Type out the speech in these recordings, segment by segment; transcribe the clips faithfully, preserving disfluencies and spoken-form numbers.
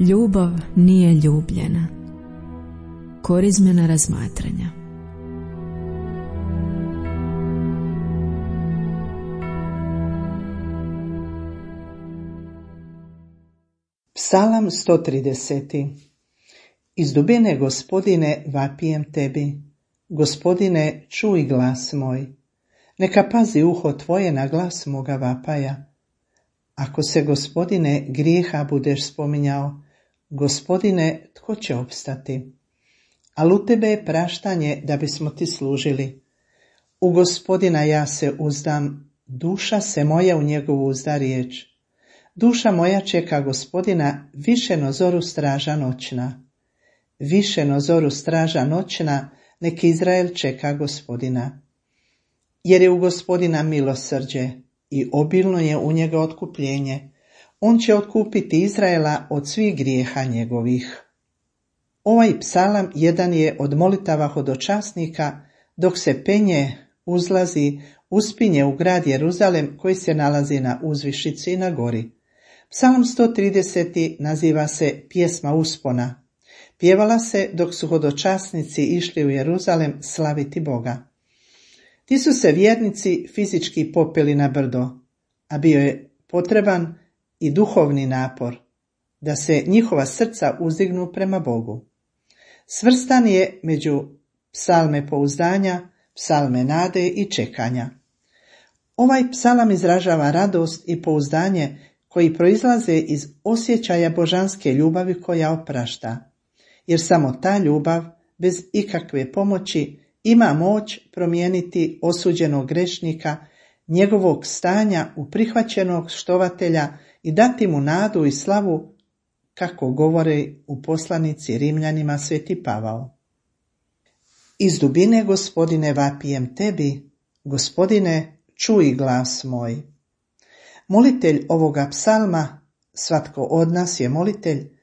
Ljubav nije ljubljena. Korizmena razmatranja. Psalam sto trideset. Iz dubine, Gospodine, vapijem tebi. Gospodine, čuj glas moj. Neka pazi uho tvoje na glas moga vapaja. Ako se, Gospodine, grijeha budeš spominjao, Gospodine, tko će opstati? Ali u tebe je praštanje da bismo ti služili. U Gospodina ja se uzdam, duša se moja u njegovu uzda riječ. Duša moja čeka Gospodina, više no zoru straža noćna. Više no zoru straža noćna, nek Izrael čeka Gospodina. Jer je u Gospodina milosrđe i obilno je u njega otkupljenje. On će otkupiti Izraela od svih grijeha njegovih. Ovaj psalam jedan je od molitava hodočasnika dok se penje, uzlazi, uspinje u grad Jeruzalem koji se nalazi na uzvišici i na gori. Psalam sto trideset naziva se pjesma uspona. Pjevala se dok su hodočasnici išli u Jeruzalem slaviti Boga. Ti su se vjernici fizički popeli na brdo, a bio je potreban i duhovni napor, da se njihova srca uzdignu prema Bogu. Svrstan je među psalme pouzdanja, psalme nade i čekanja. Ovaj psalam izražava radost i pouzdanje koji proizlaze iz osjećaja božanske ljubavi koja oprašta, jer samo ta ljubav, bez ikakve pomoći, ima moć promijeniti osuđenog grešnika, njegovog stanja u prihvaćenog štovatelja i dati mu nadu i slavu, kako govore u poslanici Rimljanima sveti Pavao. Iz dubine, Gospodine, vapijem tebi, Gospodine, čuj glas moj. Molitelj ovoga psalma, svatko od nas je molitelj,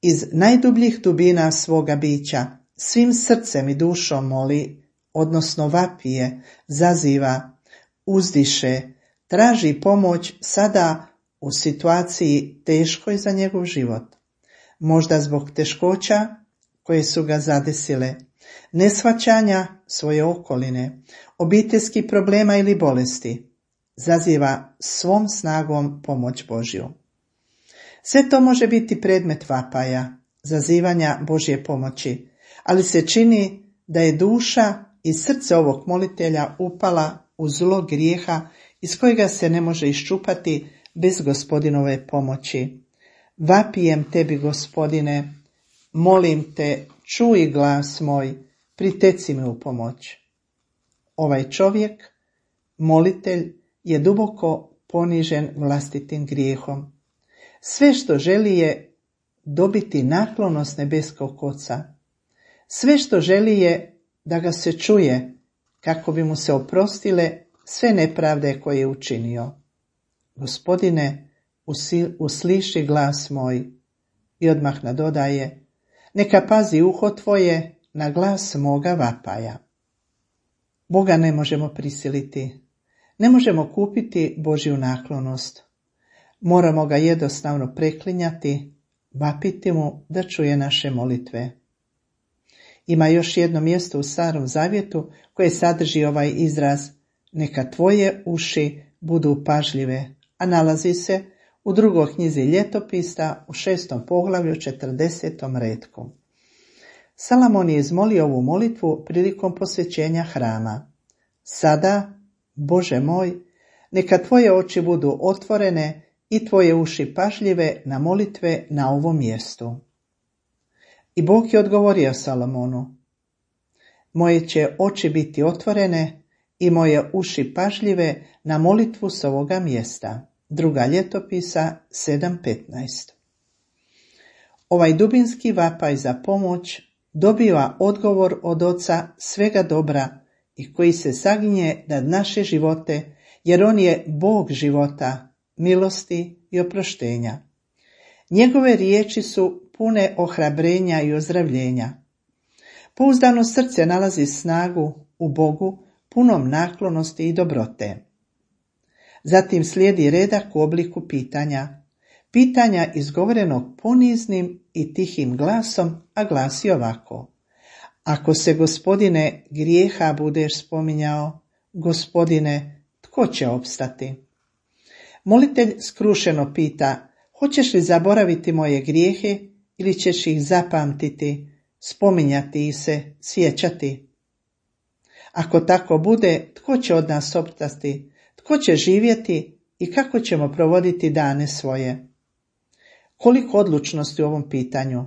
iz najdubljih dubina svoga bića, svim srcem i dušom moli, odnosno vapije, zaziva, uzdiše, traži pomoć sada u situaciji teškoj za njegov život. Možda zbog teškoća koje su ga zadesile, neshvaćanja svoje okoline, obiteljskih problema ili bolesti. Zaziva svom snagom pomoć Božju. Sve to može biti predmet vapaja, zazivanja Božje pomoći, ali se čini da je duša i srce ovog molitelja upala u zlo grijeha iz kojega se ne može iščupati bez Gospodinove pomoći. Vapijem tebi, Gospodine, molim te, čuj glas moj, priteci mi u pomoć. Ovaj čovjek, molitelj, je duboko ponižen vlastitim grijehom. Sve što želi je dobiti naklonost nebeskog Oca. Sve što želi je da ga se čuje, kako bi mu se oprostile sve nepravde koje je učinio. Gospodine, usliši glas moj. I odmah nadodaje, neka pazi uho tvoje na glas moga vapaja. Boga ne možemo prisiliti. Ne možemo kupiti Božju naklonost. Moramo ga jednostavno preklinjati, vapiti mu da čuje naše molitve. Ima još jedno mjesto u Starom Zavjetu koje sadrži ovaj izraz, neka tvoje uši budu pažljive, a nalazi se u drugoj knjizi Ljetopisa u šestom poglavlju četrdesetom retku. Salomon je izmolio ovu molitvu prilikom posvećenja hrama. Sada, Bože moj, neka tvoje oči budu otvorene i tvoje uši pažljive na molitve na ovom mjestu. I Bog je odgovorio Salomonu, moje će oči biti otvorene i moje uši pažljive na molitvu s ovoga mjesta. Druga Ljetopisa sedam petnaest. Ovaj dubinski vapaj za pomoć dobiva odgovor od Oca svega dobra i koji se saginje nad naše živote, jer on je Bog života, milosti i oproštenja. Njegove riječi su pune ohrabrenja i ozdravljenja. Pouzdano srce nalazi snagu u Bogu, punom naklonosti i dobrote. Zatim slijedi redak u obliku pitanja. Pitanja izgovorenog poniznim i tihim glasom, a glasi ovako: Ako se, Gospodine, grijeha budeš spominjao, Gospodine, tko će opstati? Molitelj skrušeno pita: hoćeš li zaboraviti moje grijehe ili ćeš ih zapamtiti, spominjati ih se, sjećati? Ako tako bude, tko će od nas opstati, tko će živjeti i kako ćemo provoditi dane svoje? Koliko odlučnosti u ovom pitanju?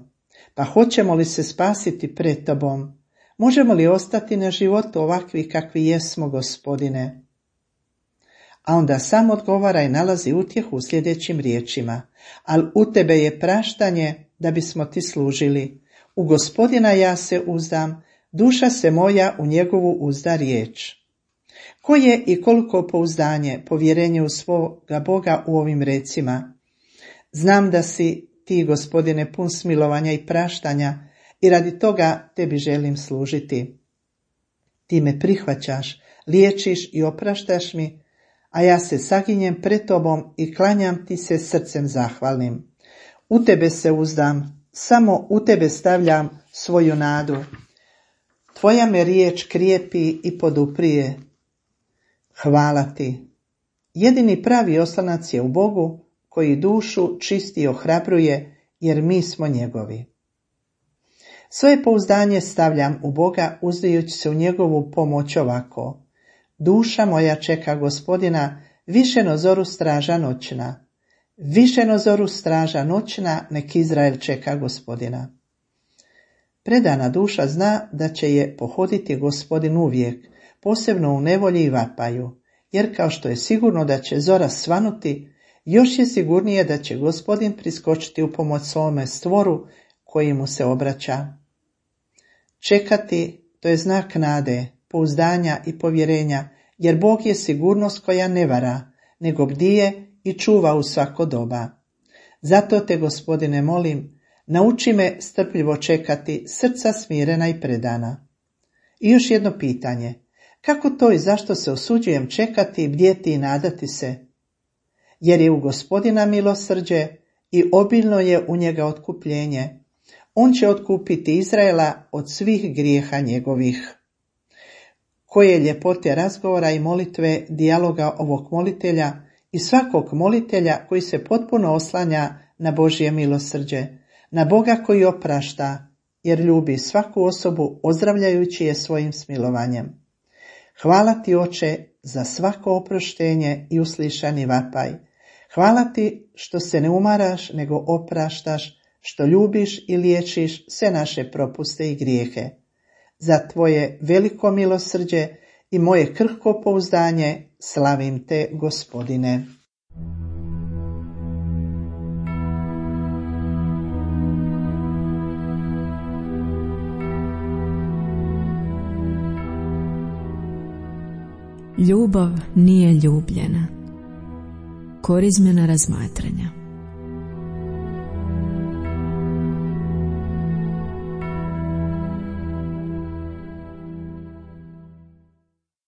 Pa hoćemo li se spasiti pred tobom? Možemo li ostati na životu ovakvi kakvi jesmo, Gospodine? A onda sam odgovara i nalazi utjehu u sljedećim riječima: ali u tebe je praštanje da bismo ti služili. U Gospodina ja se uzdam, duša se moja u njegovu uzda riječ. Koje i koliko pouzdanje, povjerenje u svoga Boga u ovim recima? Znam da si ti, Gospodine, pun smilovanja i praštanja i radi toga tebi želim služiti. Ti me prihvaćaš, liječiš i opraštaš mi, a ja se saginjem pred tobom i klanjam ti se srcem zahvalnim. U tebe se uzdam, samo u tebe stavljam svoju nadu. Tvoja me riječ krijepi i poduprije. Hvala ti. Jedini pravi oslonac je u Bogu, koji dušu čisti i ohrabruje, jer mi smo njegovi. Svoje pouzdanje stavljam u Boga, uzdajući se u njegovu pomoć ovako: duša moja čeka Gospodina, više no zoru straža noćna. Više no zoru straža noćna, nek Izrael čeka Gospodina. Predana duša zna da će je pohoditi Gospodin uvijek, posebno u nevolji i vapaju, jer kao što je sigurno da će zora svanuti, još je sigurnije da će Gospodin priskočiti u pomoć svome stvoru koji mu se obraća. Čekati, to je znak nade, pouzdanja i povjerenja, jer Bog je sigurnost koja ne vara, nego bdije i čuva u svako doba. Zato te, Gospodine, molim, nauči me strpljivo čekati, srca smirena i predana. I još jedno pitanje: kako to i zašto se osuđujem čekati, bdjeti i nadati se? Jer je u Gospodina milosrđe i obilno je u njega otkupljenje. On će otkupiti Izraela od svih grijeha njegovih. Koje ljepote razgovora i molitve, dijaloga ovog molitelja i svakog molitelja koji se potpuno oslanja na Božje milosrđe, na Boga koji oprašta, jer ljubi svaku osobu ozdravljajući je svojim smilovanjem. Hvala ti, Oče, za svako oproštenje i uslišani vapaj. Hvala ti što se ne umaraš, nego opraštaš, što ljubiš i liječiš sve naše propuste i grijehe. Za tvoje veliko milosrđe i moje krhko pouzdanje slavim te, Gospodine. Ljubav nije ljubljena. Korizmena razmatranja.